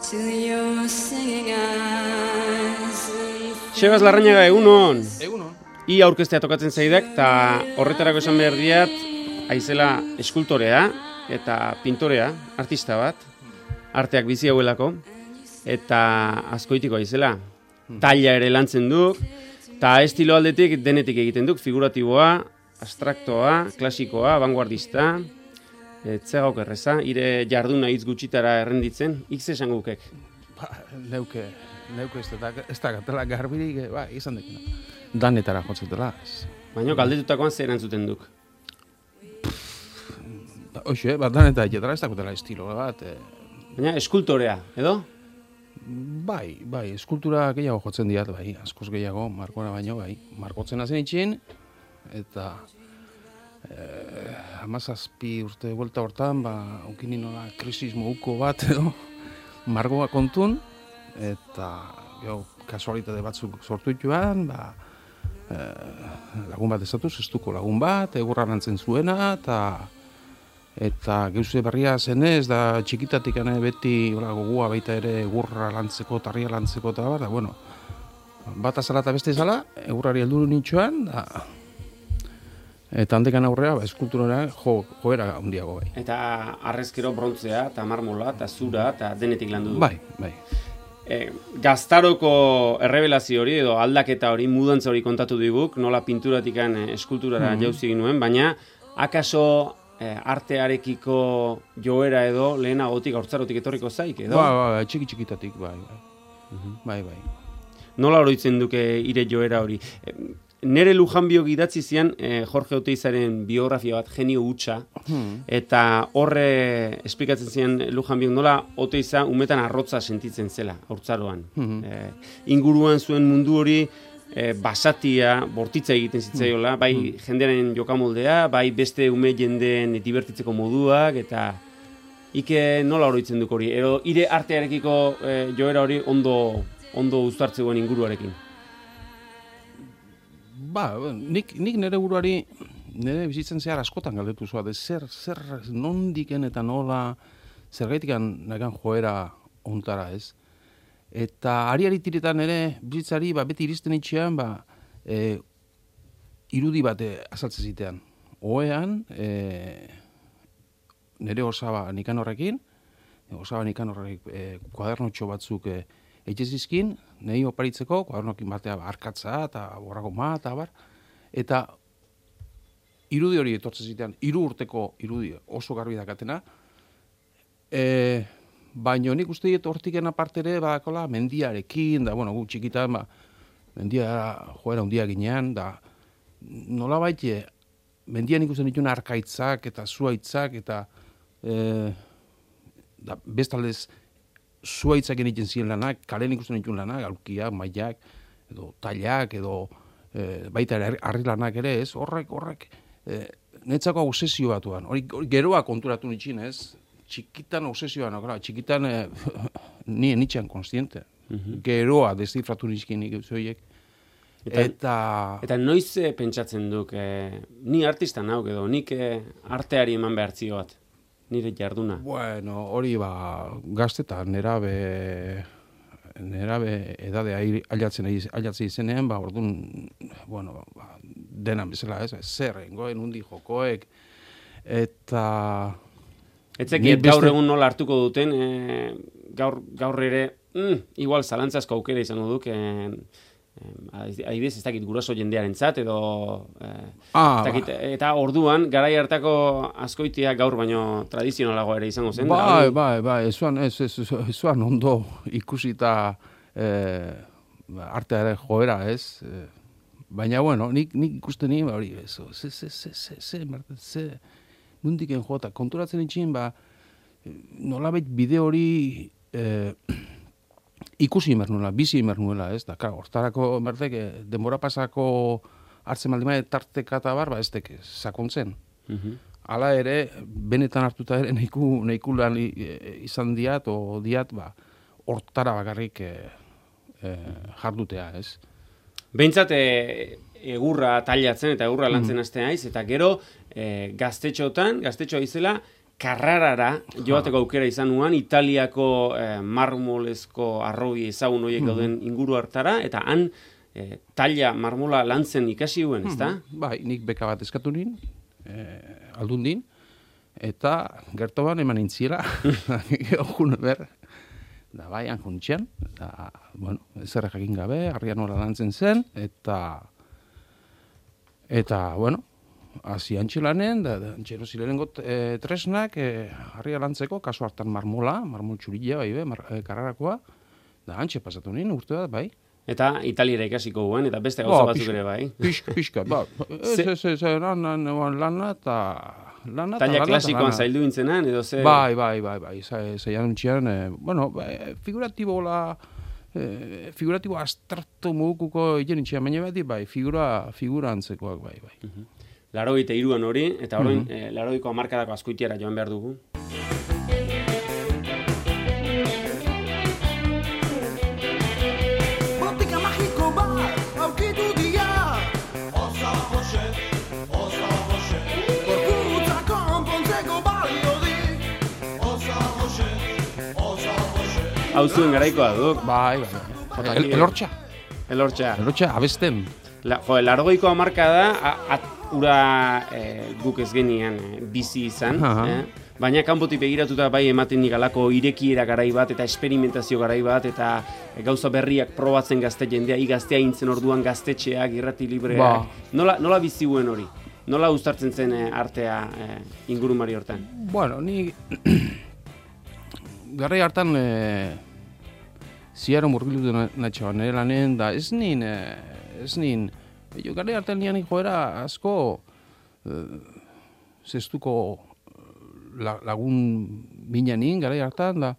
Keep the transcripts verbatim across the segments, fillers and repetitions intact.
Sebas Larrañaga, egunon. Egunon. I aurkeztea tokatzen zaidak, eta horretarako esan behar diat, aizela eskultorea eta pintorea, artista bat, arteak bizi hauelako, eta askoitiko aizela. Taila ere lantzen duk, eta estilo aldetik denetik egiten duk, figuratiboa, abstraktoa, klasikoa, vanguardista, etzegauk erreza, ire jarduna hitz gutxitara errenditzen, ikze esan gukek. Ba, neuke, neuke ez da, ez da gatela garbirik, ba, izan dekena. Danetara jotzetela. Baina galdetutakoan zer erantzuten duk. Ba, Oxe, ba, danetara jetara ez dakotela estilo bat. E... Baina eskultorea, edo? Bai, bai, eskultura gehiago jotzen diat, bai, askoz gehiago, markora baino, bai. Markotzen hazen itxin, eta eh, hamazazpi urte buelta hortan, ba, aukini nola krisismo uko bat, edo, margoa kontun, eta jo, kasualitate batzuk sortu dituan, ba, eh, lagun bat ezatuz, estuko lagun bat, egurra lantzen zuena, eta eta geuse berria zenez, da txikitatik ane beti ola, gogua baita ere egurra lantzeko, tarria lantzeko, eta bar, da, bueno, bat azala eta beste zala, egurrari heldu nintxoan, da, eta handekan aurrea, ba, eskulturara jo, joera handiago bai. Eta arrezkero brontzea, eta marmola, eta zura, eta denetik landu du. Bai, bai. E, gaztaroko errebelazio hori, edo aldaketa hori, mudantza hori kontatu diguk, nola pinturatikan eskulturara mm. jauzi ginuen, baina akaso e, artearekiko joera edo lehenagotik, haurtzarotik etorriko zaik, edo? Ba, ba, txiki txikitatik, bai, bai. Uh-huh. Bai, bai. Nola oroitzen duke ire joera hori? E, Nere Lujanbiok idatzi zian eh, Jorge Oteizaren biografia bat, genio hutsa, hmm. eta horre esplikatzen zian Lujanbiok nola Oteiza umetan arrotza sentitzen zela, haurtzaroan. Hmm. Eh, inguruan zuen mundu hori eh, basatia, bortitza egiten zitzaiola, bai hmm. jendearen jokamoldea, bai beste ume jendeen dibertitzeko moduak, eta ike nola oroitzen duk hori, edo ire artearekiko eh, joera hori ondo, ondo uztartzegoen inguruarekin. Ba, nik, nik nire buruari, nire bizitzen zehar askotan galdetu zua, de zer, zer nondiken eta nola, zergaitikan nagan joera ontara ez. Eta ari-ari tiretan ere bizitzari ba, beti iristen itxean, ba, e, irudi bat azaltzen zitean. Oean, e, nire osaba nikan horrekin, osaba nikan horrek e, kuadernotxo batzuk e, eitxezizkin, nahi oparitzeko, kuadernokin batea arkatza eta borragoma eta bar, eta irudi hori etortzen zitean, hiru urteko irudi oso garbi dakatena, e, baina nik uste dut hortiken apartere badakola mendiarekin, da, bueno, gu txikitan, ba, mendia joera handia ginean, da, nola baite, mendian ikusten dituen arkaitzak eta zuaitzak, eta e, da, bestaldez, zuaitzak egiten ziren lanak, kalen ikusten dituen lanak, aulkiak, mailak, edo tailak, edo e, baita harri lanak ere, ez, horrek, horrek, e, netzako obsesio batuan, hori, hori geroa konturatu nitxin, ez, txikitan obsesioan, okra, txikitan e, ni nitxean konstiente, uh-huh. geroa deszifratu nitxkin nik zoiek, eta, eta... Eta noiz e, pentsatzen duk, e, ni artista nauk edo, nik e, arteari eman behar zio bat? Nire jarduna. Bueno, hori ba, gaztetan, nerabe, nerabe edade ailatzen, ailatzen izenean, ba, orduan, bueno, ba, denan bezala, ez, zer, engoen, undi jokoek, eta... Etzekiet gaur egun nola hartuko duten, e, gaur, gaur ere, mm, igual zalantzazko aukera izango duk, e, adibidez, ez dakit guraso jendearen zat, edo eh, ah, dakit, eta orduan, garai hartako askoitia gaur baino tradizionalago ere izango zen. Bai, bai, bai, ezuan, ez, ez, ezuan ondo ikusita eh, arteare joera, ez? Eh, baina, bueno, nik, nik ikusten nien, hori, ez, ze, ze, ze, ze, ze, ze, nundiken jota, konturatzen itxin, ba, nolabait bide hori... Eh, ikusi imer nuela, bizi imer nuela, ez da, klar, hortarako merdek, denbora pasako hartzen maldima tarteka eta bar, ba, ez dek, sakontzen. Uh-huh. Hala ere, benetan hartuta ere, nehiku, nehiku lan izan diat, o diat, ba, hortara bakarrik e, e, jardutea, ez. Behintzat, e, egurra tailatzen eta egurra lantzen mm. hasten haiz, eta gero, e, gaztetxotan, gaztetxoa izela, Karrarara joateko aukera izan nuan, Italiako eh, marmolezko arrobi ezagun horiek dauden inguru hartara, eta han eh, taila marmola lantzen ikasi huen, ezta? Bai, nik beka bat eskatu nin, eh, aldundin, eta gertoban eman intziela, jun ber, da bai, han juntxean, da, bueno, zerre jakin gabe, harria nola lantzen zen, eta, eta, bueno, hasi antxelanen, da, da antxero zilerengo e, tresnak, e, harria lantzeko, kasu hartan marmola, marmol txurilla, bai, be, mar, e, karrarakoa, da antxe pasatu nien, urte bat, bai. Eta Italiera ikasiko guen, eta beste gauza Ba, batzuk pixka, ere, bai. Pixka, pixka, ba, ez, ez, ez, ez, lana, lana, eta... Lana, Taila lana, klasikoan lana. zaildu intzenan, edo ze... Bai, bai, bai, bai, zeian untxian, eh, bueno, eh, figuratibo la... Eh, figuratibo abstrakto modukuko egin intxian, baina beti, bai, figura, figura antzekoak, bai, bai. Uh -huh. Larogeita hiruan hori, eta orain, Mhm. eh, laurogeiko hamarkadako askoitiara joan behar dugu. Botika magiko bat aurkitu dira. Oso hoxe, oso hoxe. Gorputza konpontzeko balio dik. Oso hoxe, oso hoxe. Hau zuen garaikoa duk. Bai, bai, bai. Jota, El, aquí- elortxa, Elortxa. elortxa, abesten. La, jo, laurogeiko hamarkada, a- at, ura eh, guk ez genian eh, bizi izan, Aha. eh? Baina kanpotik begiratuta bai ematen nigalako irekiera garai bat, eta esperimentazio garai bat, eta eh, gauza berriak probatzen gazte jendea, igaztea intzen orduan gaztetxeak, irrati libreak. Ba. Nola, nola bizi guen hori? Nola uztartzen zen eh, artea eh, ingurumari hortan? Bueno, ni... Garai hartan, e, ziaro murgilu natxoan, nire lanen, da ez nin, e, ez nin, jo, garai hartan nian joera asko, e, zestuko la, lagun minanin, garai hartan, da,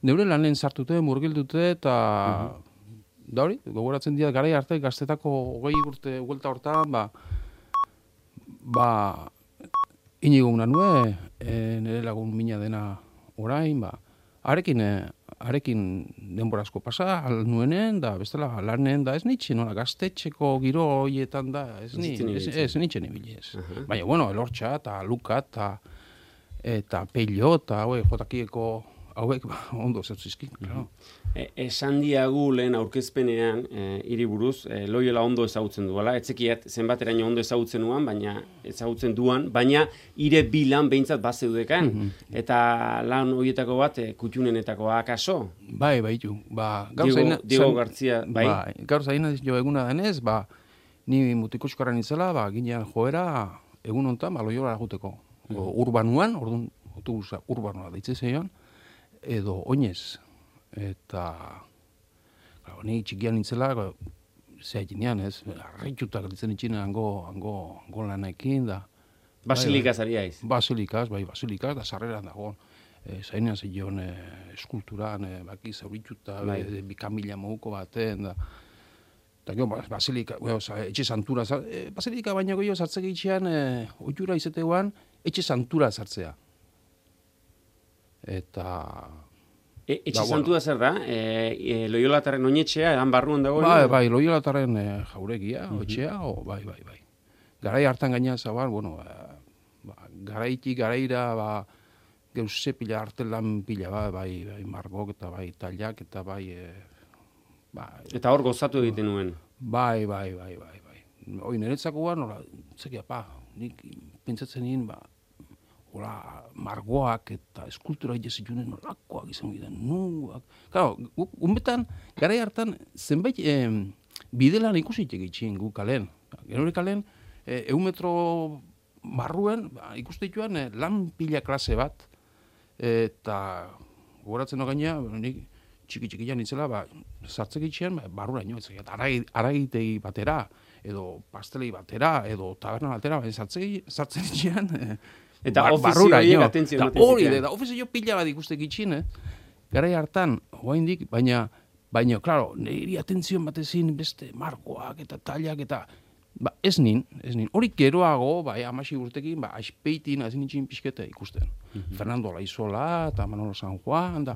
neure lanen sartute, murgildute, eta, da hori, gogoratzen dira, garai arte, gaztetako hogei urte huelta hortan, ba, ba, inigo una nue, e, nire lagun mina dena orain, ba, arekin, e, arekin denbora asko pasa, al nuenen, da, bestela, lanen, da, ez nitxe, nola, gaztetxeko giro horietan da, ez, ni, Ez zitzen ez, ibiltzen. ez nitxe nibili, ez. Aha. Baina, bueno, elortxa, eta luka, eta, eta peilo, eta, hauek, jotakieko, hauek, ba, ondo zertzizkin, claro. E, esan diagu lehen aurkezpenean e, hiri buruz, e, Loiola ondo ezagutzen duela, etzekiat zenbateraino ondo ezagutzen duan, baina ezagutzen duan, baina hire bi lan behintzat bazeudekan, eta lan horietako bat e, kutxunenetakoa akaso. Bai, bai, ju, ba, gaur Diego, zaina- Diego zain- Gartzia, bai? Bai, gaur zaina jo eguna denez, ba, ni mutikoskoran nintzela, ba, ginean joera egun hontan, ba, Loiolara juteko. O, urbanuan, orduan, autobusa urbanoa deitze zeion, edo oinez. Eta, claro, ni txikian nintzela, ba, zea jinean, ez, harritutak ditzen itxine hango, hango, hango lanaekin, da. Basilika zariaiz. Basilikaz, bai, basilikaz, da sarreran dago. E, zainean zeion e, eskulturan, e, baki zaurituta, Bai. e, bikamila moguko baten, da. Eta gero, ba, basilika, bueno, etxe santura, e, basilika baina gehiago sartze gehitxean, e, oitura izateguan, etxe santura sartzea. Eta... E, etxe Da, bueno. santua zer da? E, e, Loiolataren oinetxea, han barruan dago. Bai, bai, Loiolataren e, jauregia, etxea, o, bai, bai, bai. Garai hartan gaina zabar, bueno, ba, ba, garaitik, garaira, ba, geuse pila artelan pila, ba, bai, bai, margok eta bai, tailak eta bai, e, ba, Eta hor gozatu egiten nuen. bai, bai, bai, bai, bai. Hoi, niretzakoa, nola, zekia, pa, nik pentsatzen nien, ba, hola, margoak eta eskultura egizitunen nolakoak izan giren, nuak. Claro, guk, unbetan, garai hartan, zenbait eh, bidelan ikusit egitxin guk kalen. Genore kalen, eh, eun metro barruen, ba, ikuste dituan, eh, lan pila klase bat, eta gogoratzen no gaina, nik txiki-txikian nintzela, ba, sartzek itxean, ba, barrura ino, ez aragitegi batera, edo pastelei batera, edo taberna batera, ba, sartzek, sartzen itxean, eh, Eta Bar- ofizio barrura, horiek ino. atentzio Da ematen hori, zitean. da ofizio pila bat ikustek itxin, eh? Garai hartan, oraindik, baina, baina, claro, niri atentzio batezin beste margoak eta tailak eta, ba, ez nin, ez nin. Hori geroago, bai, amasi urtekin, ba, aspeitin, hazin itxin pixkete ikusten. Fernando Laizola, eta Manolo San Juan, da,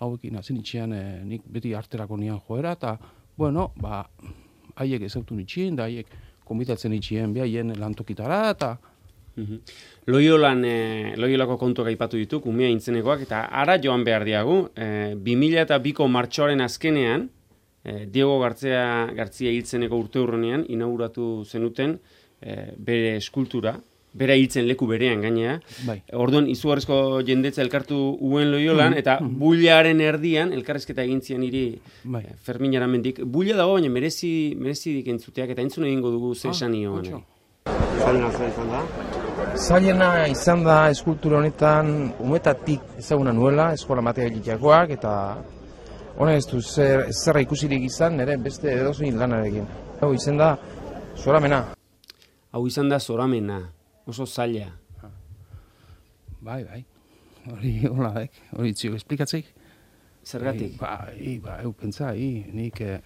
hauekin hazin itxian, eh, nik beti arterako nian joera, eta, bueno, ba, haiek ezautu nitxin, da haiek komitatzen itxien, behaien lantokitara, eta, Mhm. Loiolan, e, Loiolako kontuak aipatu dituk, umea intzenekoak, eta ara joan behar diagu, e, bi mila eta biko martxoaren azkenean, e, Diego Gartzia, Gartzia hiltzeneko urte urronean, inauguratu zenuten e, bere eskultura, bera hiltzen leku berean gainea. Bai. Orduan, izugarrizko jendetza elkartu uen Loiolan, Mhm, eta mhm. builaren erdian, elkarrezketa egin zian hiri Bai. e, Fermin Aramendik. Buila dago, baina merezi, merezidik entzuteak, eta entzun egingo dugu ze Ah, esan nioan. otxo. Zailena zer izan da? Zailena izan da eskultura honetan umetatik ezaguna nuela, eskola materialitakoak, eta honen ez du zer, zerra ikusirik izan, nire beste edozein lanarekin. Hau izan da, zoramena. Hau izan da zoramena, oso zaila. Bai, bai. Hori, hola, dek. Hori txio, esplikatzeik? Zergatik? Ba, i, ba, eu pentsa, i, nik eh,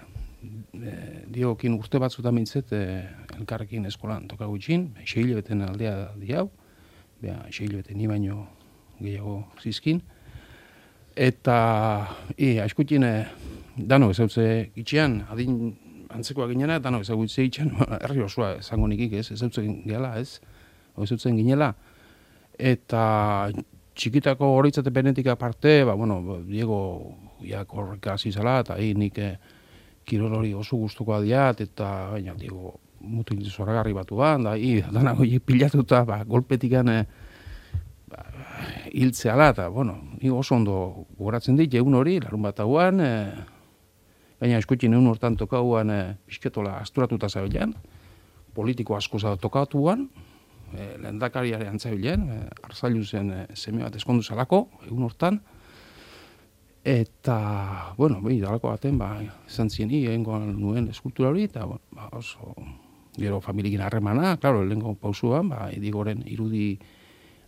eh, Diegokin urte batzutan mintzet eh, elkarrekin eskolan toka gutxin, seile beten aldea di hau, beha, seile beten ni baino gehiago zizkin, eta, i, askotin, eh, dano ezautze gitxean, adin antzekoa ginena, dano ezautze gitxean, herri osoa esango nikik, ez, ezautzen gehala, ez, o ezautzen ginela, eta txikitako horitzate benetik aparte, ba, bueno, Diego ja korreka hasi zala, eta hi nik eh, kirol hori oso gustukoa diat, eta baina Diego mutil zoragarri batuan, da hi danak horiek pilatuta, ba, golpetikan eh, ba, hiltzeala, eta, bueno, ni oso ondo goratzen dit, egun hori, larun bat hauan, eh, baina eskutin egun hortan tokauan eh, pisketola asturatuta zabilean, politiko asko zau tokatuan, E, lehendakariare antzabilen, e, Arzailuzen e, seme bat eskondu zalako, egun hortan, eta, bueno, behi, dalako baten, ba, esan zien hi, egingoan nuen eskultura hori, eta, bueno, ba, oso, gero familikin harremana, klaro, lehenko pausuan, ba, Digoren irudi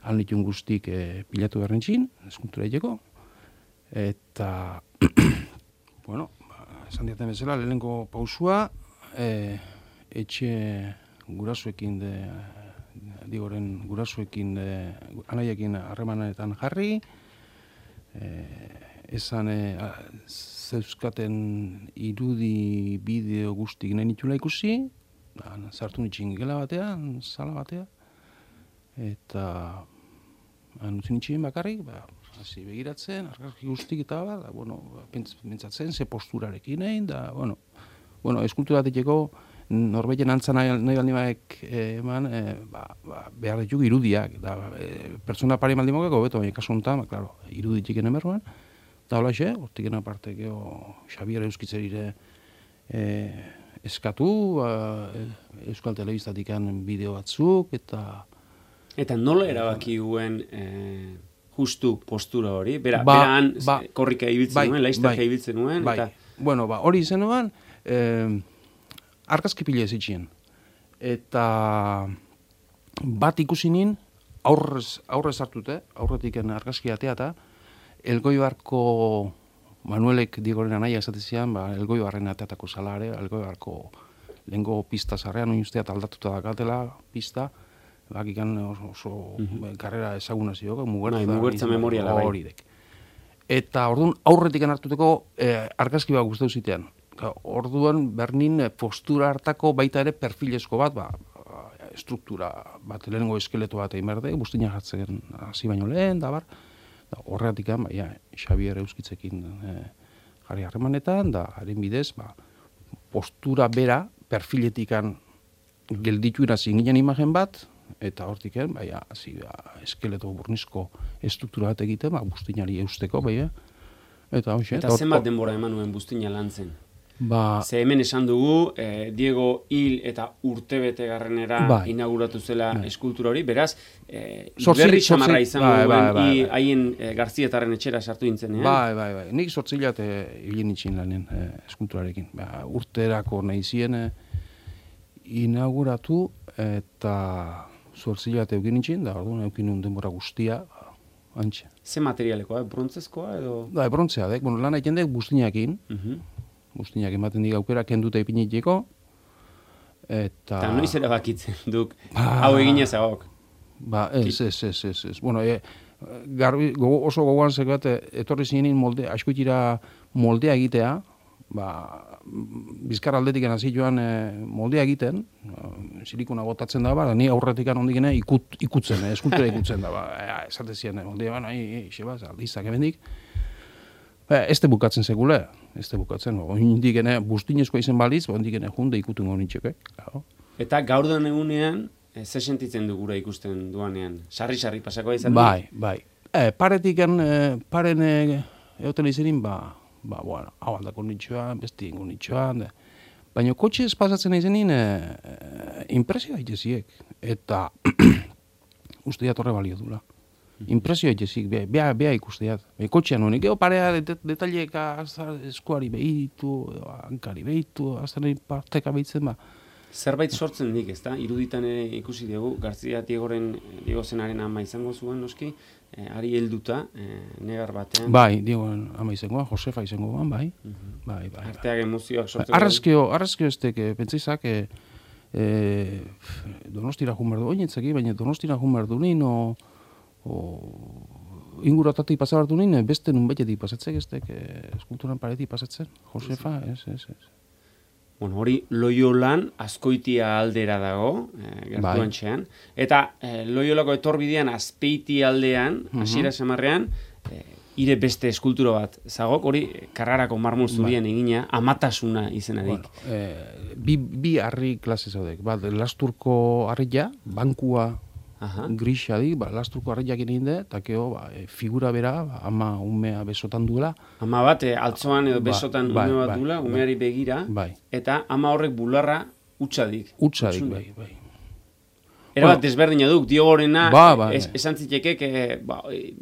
alnitun guztik e, pilatu berrentzin, eskultura egeko, eta, bueno, ba, esan diaten bezala, lehenko pausua, e, etxe gurasuekin de, Digoren gurasuekin, eh, anaiekin harremanetan jarri, eh, esan eh, zeuzkaten irudi bideo guztik nahi nitula ikusi, da, sartu nitxin gela batean, sala batea, eta anutzi nitxin bakarrik, ba, hasi begiratzen, argazki guztik eta ba, da, bueno, pentsatzen, ze posturarekin egin, da, bueno, bueno, eskultura bateteko, Norbeiten antza nahi, nahi baldin baek eh, eman, eh, ba, ba, behar ditugu irudiak, da, eh, pertsona pari baldin mogeko, beto, baina kasu honetan, ba, klaro, iruditik emerruan, da hola xe, hortik aparte geho Xabier Euskitzerire eh, eskatu, ba, Euskal Telebistatikan bideo batzuk, eta... Eta nola erabaki duen eh, justu postura hori? Bera, ba, beran ba, korrika ibiltzen bai, nuen, laiztaka bai, ibiltzen nuen, bai. eta... Bueno, ba, hori izenuan, eh, argazki pila ez itxien. Eta bat ikusi nin, aurrez, aurrez hartute, aurretiken argazki ateata, Elgoibarko Manuelek Diegoren anaia esatezian, ba, Elgoibarren ateatako salare, Elgoibarko lehengo pista zarrean, oin usteat aldatuta dakatela pista, bakikan oso, oso mm-hmm. karrera ezaguna zioko, mugertza, bai, mugertza memoriala bai. Horidek. Eta orduan aurretiken hartuteko eh, argazki bat guztau zitean. Orduan bernin postura hartako baita ere perfilezko bat, ba, struktura bat, lehenengo eskeleto bat egin berde, buztina jartzen hasi baino lehen, da bar, da, horregatik, ba, ja, Xabier Euskitzekin e, jarri harremanetan, da, haren bidez, ba, postura bera, perfiletikan gelditu irazin ginen imagen bat, eta hortiken, ba, ja, hasi, ba, eskeleto burnizko estruktura bat egiten, ba, buztinari eusteko, bai, eta hoxe. Eta zenbat denbora eman nuen buztina lan zen? Ba, Ze hemen esan dugu, eh, Diego hil eta urtebete garrenera bai, inauguratu zela bai. eskultura hori, beraz, eh, Zortzi- berri xamarra zortzi- izango bai, duen, bai, bai, i bai. haien eh, Garzietarren etxera sartu dintzenean. Bai, bai, bai. Nik zortzilat hilin itxin lanen eh, eskulturarekin. Ba, urterako nahi zien eh, inauguratu eta zortzilat eukin itxin, da orduan eukin nun denbora guztia, ba, antxe. Ze materialekoa, eh? Brontzezkoa edo? Da, brontzea, dek, bueno, lan egiten dek buztinakin, Uh-huh. buztinak ematen dik aukera kenduta ipiniteko, eta... Eta noiz erabakitzen duk, Ba. hau egin ezagok. Ba, ez, ez, ez, ez, ez. Bueno, e, garbi, gogo, oso gogoan zekat, etorri zinen molde, askoitira moldea egitea, ba, bizkar aldetik hasi joan e, moldea egiten, silikona botatzen da, ba, ni aurretik ondikene ikut, ikutzen, e, eskultura ikutzen da, ba, e, esate ziren, moldea, ba, nahi, xebaz, aldizak ebendik, ba, ez te bukatzen segule, ez te bukatzen, ba, ondikene, bustinezkoa izen baliz, ba, ondikene junde ikutun honitxeke, claro. Eta gaur den egunean, e, ze sentitzen du gura ikusten duanean? Sarri-sarri pasakoa izan? Bai, bai. E, paretik, e, paren e, egoten izenin, ba, ba, bueno, hau aldako nitxoan, besti ingo nitxoan, baina kotxez pasatzen izenin, e, e, impresio haiteziek, eta usteat horre balio dula. Impresio haitezik, beha, beha ikusteat. Be, kotxean honik, geho parea det, detalieka eskuari behitu, hankari behitu, azten parteka behitzen, ba. Zerbait sortzen dik, ezta? Iruditan ere ikusi dugu, Garzia Diegoren, Diego Zenaren ama izango zuen, noski, eh, ari helduta, eh, negar batean. Bai, Diegoen ama izangoa, Josefa izangoan, bai. Uh -huh. Bai, bai. Arteak emozioak sortzen. Arrezkio, arrezkio estek, e, pentsaizak, e, e, Donostira jumerdu, oinetzaki, baina Donostira jumerdu nien, o, o inguratatik pasabartu nien, beste nun betetik pasatzek, estek, e, eskulturan paretik pasatzen, Josefa, ez, ez, ez. Bueno, hori Loiolan Azkoitia aldera dago, eh, gertuan txean. Eta eh, Loiolako etorbidean Azpeiti aldean, hasiera uh -huh. samarrean, eh, ire beste eskultura bat zagok, hori Karrarako marmol zurien ba. egina, Amatasuna izenarik. Bueno, eh, bi, bi harri klase zaudek, bat, Lasturko harria, bankua, Aha. grisa di, ba, Lasturko harriak egin de, eta keo, ba, e, figura bera, ba, ama umea besotan duela. Ama bat, e, altzoan edo besotan ba, ume bat bai, duela, bai, umeari begira, bai. eta ama horrek bularra utxadik. Utxadik, bai, bai. Era bat, desberdina duk, Diogorena, ba, ba, es, esan zitekek, e, ba, e,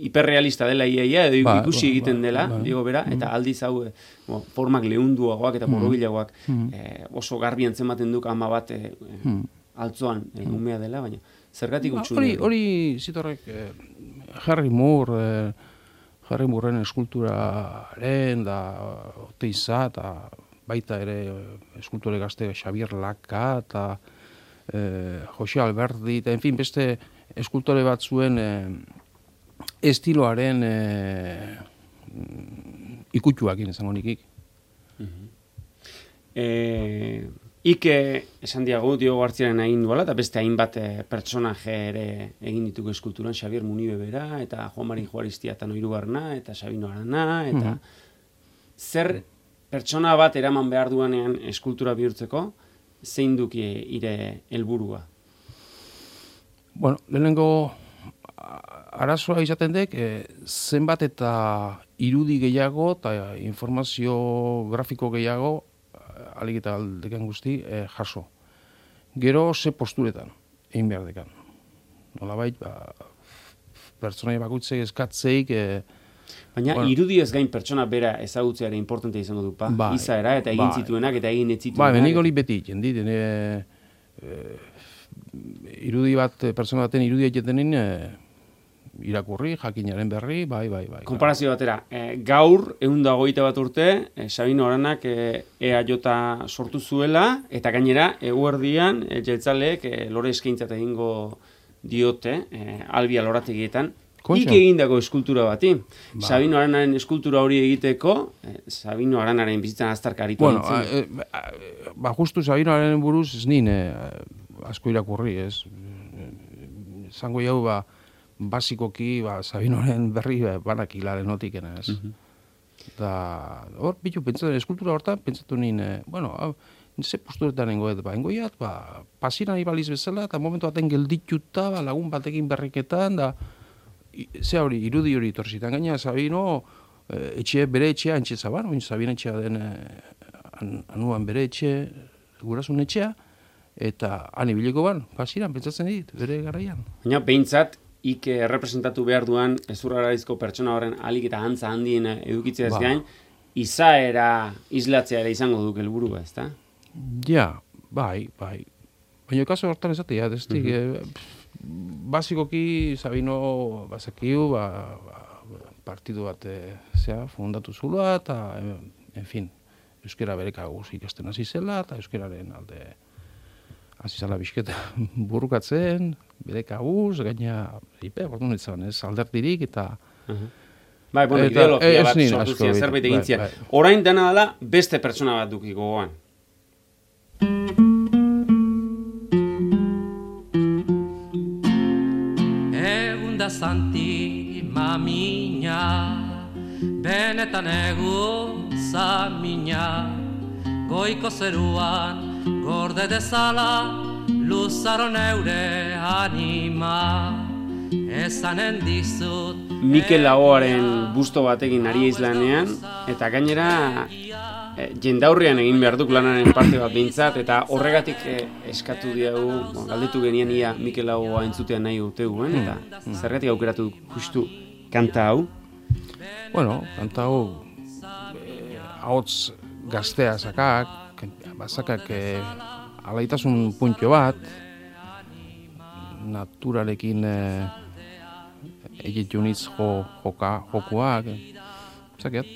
hiperrealista dela iaia, edo ba, ikusi ba, egiten dela, ba, Diego bera, mm. eta aldiz hau, e, bo, formak lehunduagoak eta borobilagoak, mm. e, oso garbi antzematen duk ama bat e, mm. altzoan e, umea dela, baina zergatik ba, utxun. Hori, hori zitorrek, eh, Harry Moore, eh, Harry Mooreren eskulturaren, da, Oteiza, eta baita ere eskultore gazte Xavier Laka, eta eh, Jose Alberdi, eta, en fin, beste eskultore bat zuen eh, estiloaren eh, ikutxuakin esango nikik. Uh-huh. Eh... Ike, esan diago, Diogo Garziaren egin duela, eta beste hainbat e, pertsonaje ere egin dituko eskulturan, Xabier Munibe bera, eta Juan Mari Juaristia eta Noirugarna, eta Sabino Arana, eta mm-hmm. zer pertsona bat eraman behar duanean eskultura bihurtzeko, zein duki ire helburua? Bueno, lehenengo arazoa izaten dek, e, zenbat eta irudi gehiago eta informazio grafiko gehiago alik eta aldekan guzti eh, jaso. Gero ze posturetan, egin behar dekan. Nolabait, ba, pertsonai bakutzek eskatzeik... Eh, Baina bueno, irudi ez gain pertsona bera ezagutzeare importante izango du, pa? Ba, izaera eta egin bai, zituenak eta egin ez zituenak. Ba, benik hori beti, jendit, e, e, irudi bat, pertsona baten irudi egiten e, irakurri, jakinaren berri, bai, bai, bai. Konparazio batera, e, gaur, ehun eta hogeita bat urte, e, Sabino Aranak e, E A J sortu zuela, eta gainera, eguerdian, e, jeltzaleek e, lore eskaintzat egingo diote, e, Albia lorategietan, ik egindako eskultura bati. Ba. Sabino Aranaren eskultura hori egiteko, e, Sabino Aranaren bizitzan aztarka aritu bueno, e, ba, justu Sabino Aranaren buruz, ez nien, asko irakurri, ez? Zango jau, ba, basikoki, ba, Sabinoren berri ba, banakilaren notikena, ez? Uh-huh. Da, hor, bitu, pentsatu, eskultura hortan, pentsatu nien, eh, bueno, hau, ze posturetan nengoet, ba, engoiat, ba, pasiran ibaliz bezala, eta momentu baten geldituta, ba, lagun batekin berriketan, da, ze hori, irudi hori torzitan gaina, Sabino, eh, etxe, bere etxea, antxe zaban, oin Sabino etxea den, eh, an, anuan bere etxe, gurasun etxea, eta han ibiliko ban, pasiran, pentsatzen dit, bere garaian. Baina, behintzat, ik errepresentatu behar duan ezurraraizko pertsona horren alik eta antza handien edukitzea ez ba. gain, izaera islatzea ere izango duk helburua, ezta? Ja, bai, bai. Baina kaso hortan ezatea, ez uh-huh. eh, basikoki Sabino bazakiu, ba, ba, partidu bat eh, zea, fundatu zula, eta, en fin, euskera bereka guz ikasten hasi zela, eta euskeraren alde hasi zala bisketa burrukatzen, bere kabuz, gaina, ipe, orduan etzan, ez, alderdirik, eta, uh-huh. Bai, bueno, Eta, ideologia ez bat nien sortu asko zian, egiten, zerbait egin bai, zian. bai. Orain dena dela beste pertsona bat duki gogoan. Egun da zanti mamina, benetan egun zamina, goiko zeruan gorde dezala, luzaro neure anima, ezanen dizut. Mikel Laboaren busto batekin ari izlanean, eta gainera e, jendaurrean egin behar duk lanaren parte bat behintzat, eta horregatik e, eskatu diagu, bon, galdetu genien ia Mikel Laboa entzutean nahi uteguen, eta zergatik aukeratu justu kanta hau. Bueno, kanta hau eh, ahots gaztea sakak, bazakak eh, alaitasun puntxo bat, naturarekin eh, egituniz jo, joka, jokuak, zaket.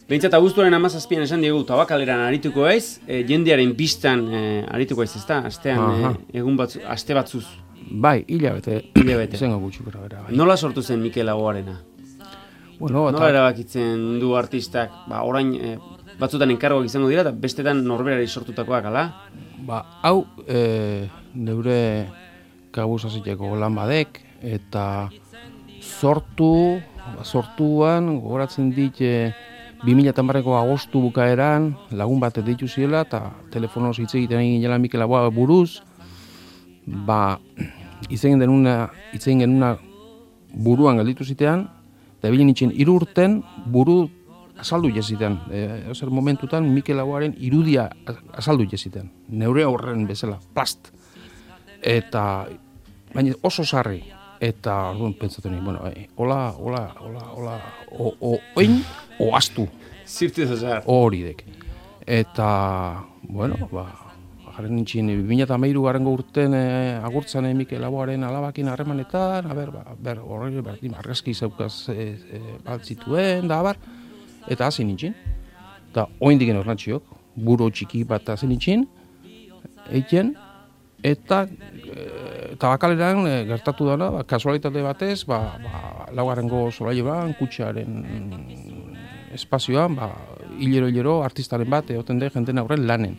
Behintzat abuztuaren amazazpian esan diegu tabakaleran arituko aiz, e, jendearen biztan e, arituko aiz, ezta? Astean, Aha. e, egun batzu, aste batzuz. Bai, hilabete, Hilabete. izango gutxi gara bera, bai. Nola sortu zen Mikel Laboarena? Bueno, Nola erabakitzen du artistak, ba, orain e, batzutan enkargoak izango dira, eta bestetan norberari sortutakoak, ala? Ba, hau e, neure kabuz aziteko lan badek, eta sortu, sortuan, gogoratzen dit, e, bi mila hamareko agostu bukaeran, lagun bat ditu ziela, eta telefonoz hitz egiten egin jela Mikel Laboa buruz, ba, hitz egin denuna, hitz egin genuna buruan galditu zitean, eta bilen itxen hiru urten buru azaldu jeziten. E, Ezer momentutan Mikel Laboaren irudia azaldu jeziten. Neure horren bezala, plast. Eta, baina oso sarri. Eta, orduan, pentsatu nahi, bueno, e, hola, hola, hola, hola, o, o, oin, o astu, Zirtu zazar. hori dek. Eta, bueno, ba, jarren nintxin, bi mila hamairu garrengo urten e, agurtzan e, Mikel Laboaren alabakin harremanetan, a ber, ba, ber, horre, berdin, argazki zaukaz e, e, baltzituen, da, bar, eta hasi nintzen. Eta oin digen ornatxiok, buru txiki bat hasi nintzen, eiken, eta e, tabakaleran e, gertatu dana, ba, kasualitate batez, ba, ba, laugarrengo solailuan, kutxaren espazioan, ba, hilero-hilero artistaren bat egoten de jenten aurren lanen.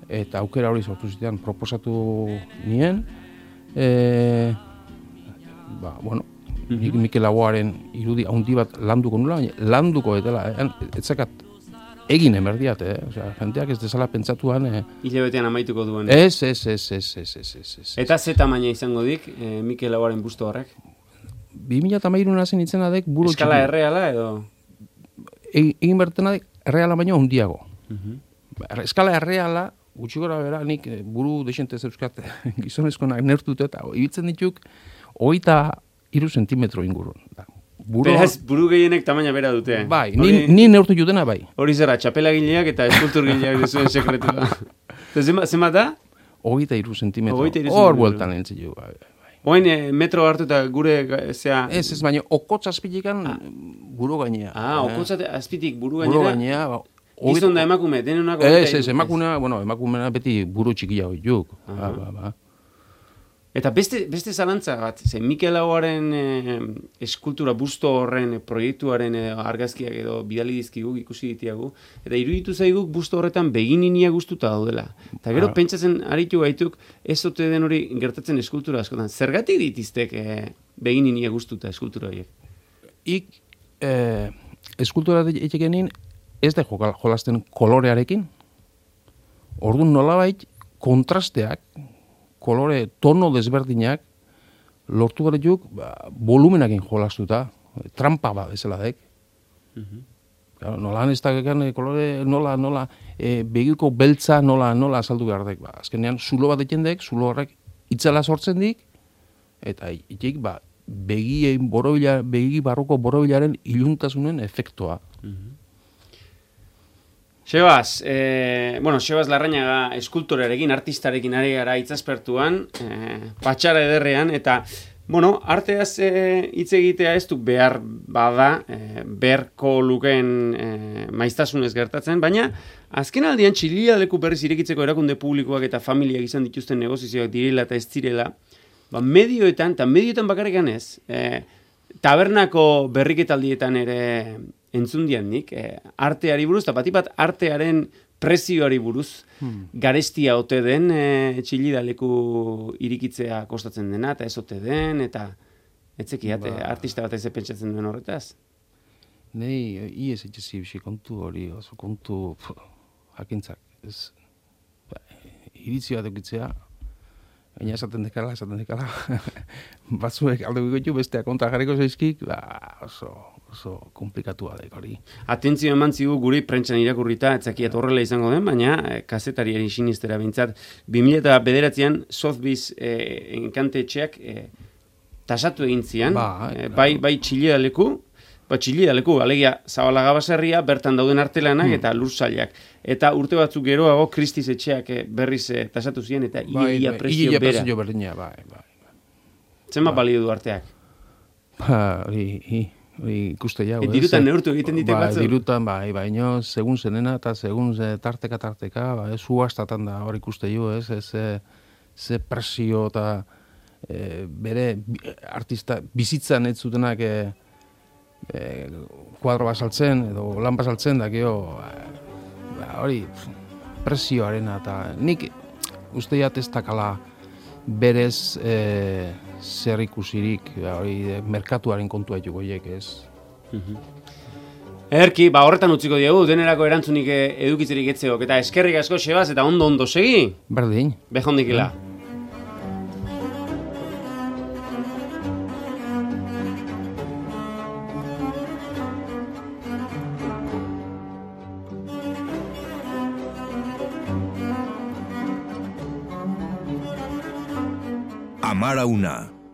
Eta aukera hori sortu zitean, proposatu nien, e, ba, bueno, nik Mikel Laboaren irudi handi bat landuko nula, baina landuko etela, eh? etzakat egin emerdiat, eh? Osea, jenteak ez dezala pentsatuan, eh? Hilabetean amaituko duen. Ez, ez, ez, ez, ez, ez, ez, ez. Eta ze tamaina izango dik, e, Mikel Laboaren busto horrek? bi mila hamairun hazen itzena dek buru Eskala txiki. erreala edo? E- Egin bertena dek erreala baino handiago. Eskala erreala, gutxi gora bera, nik eh, buru desente zeuzkat gizonezkonak neurtute eta ibiltzen dituk hogeita hiru zentimetro ingurun. Da, buru, Beraz, buru gehienek tamaina bera dute. bai, ni, Hori- ni neurtu jutena bai. Hori zera, txapelagileak eta eskulturgileak duzuen sekretua. Eta zema, zema da? Hogeita hiru zentimetro. Hogeita hiru Hor zentimetro. bueltan entzio. Bai, bai. Oain e, metro hartu eta gure, ga- zea... Ez, ez, baina okotz azpilikan buru gainea. Ah, Eh, okotzate azpitik buru Buru gainera. gainea, ba, Gizon da emakume, denunako... Ez, ez, emakumea, bueno, emakumea beti buru txikia hori juk. Ba, ba, ba. Eta beste, beste zalantza bat, ze Mikel Laboaren e, eskultura busto horren e, proiektuaren e, argazkiak edo bidali dizkigu ikusi ditiagu, eta iruditu zaiguk busto horretan begininia gustuta daudela. Eta gero Ah. pentsatzen aritu gaituk ez ote den hori gertatzen eskultura askotan. Zergatik ditiztek e, begininia gustuta eskultura horiek? Ik, eh, eskultura etxekenin ez da jokal- jolasten kolorearekin. Orduan nolabait kontrasteak, kolore, tono desberdinak, lortu gara juk, ba, volumenakin jolastuta, trampa ba bezala dek. Claro, nola ez da gekan, kolore, nola, nola, e, begiko beltza nola, nola azaldu behar dek. Ba, azkenean, zulo bat eken dek, zulo horrek itzala sortzen dik, eta itik, ba, begi, borobila, begi barruko borobilaren iluntasunen efektua. Sebas, eh, bueno, Sebas Larrañaga eskultorearekin, artistarekin ari gara itzaspertuan, eh, patxara ederrean, eta, bueno, arteaz eh, hitz egitea ez du behar bada, eh, beharko lukeen eh, maiztasunez gertatzen, baina azken aldian Txilia leku berriz irekitzeko erakunde publikoak eta familiak izan dituzten negozizioak direla eta ez direla, ba, medioetan, eta medioetan bakarrikan ez, eh, tabernako berriketaldietan ere entzun dian nik, eh, arteari buruz, eta bat bat artearen prezioari buruz, hmm. garestia ote den e, txilidaleku irikitzea kostatzen dena, eta ez ote den, eta etzekiat, ba. artista bat ez pentsatzen duen horretaz. Nei, iez etxezi bixi kontu hori, oso kontu pf, jakintzak, ez, ba, iritzi bat eukitzea, baina esaten dekala, esaten dekala, batzuek alde gugotu, besteak kontra jarriko zaizkik, ba, oso, oso komplikatua da hori. Atentzio eman zigu guri prentsan irakurrita, etzakiat horrela izango den, baina eh, kazetariari sinistera bintzat, bi mila eta bederatzean Sotheby's eh, enkantetxeak eh, tasatu egin zian, ba, eh, bai, bai txilidaleku, ba, txilidaleku, alegia Zabalaga baserria, bertan dauden artelanak hmm. eta lursailak. Eta urte batzuk geroago Christie's etxeak eh, berriz eh, tasatu zian, eta ia, bai, ia bai, prezio ia bera. prezio berdina, bai, bai. Zenbat ba. balio du arteak? Ba, hori, hori ikuste jau, E, dirutan neurtu egiten ditek ba, batzu? Dirutan, bai, baino, segun zenena eta segun ze tarteka tarteka, ba, ez uastatan da hori ikuste jo, ez, ez, ze, ze presio eta e, bere artista bizitzan ez zutenak e, e, kuadro bat saltzen, edo lan bat saltzen, da, gero, ba, hori, presioarena, eta nik uste jat ez dakala berez e, zer ikusirik, ba, hori, merkatuaren kontua jugo hiek, ez. Erki, ba horretan utziko diegu, denerako erantzunik edukitzerik etzeok, eta eskerrik asko Sebas, eta ondo ondo segi. Berdin. Behondikila. Amara una.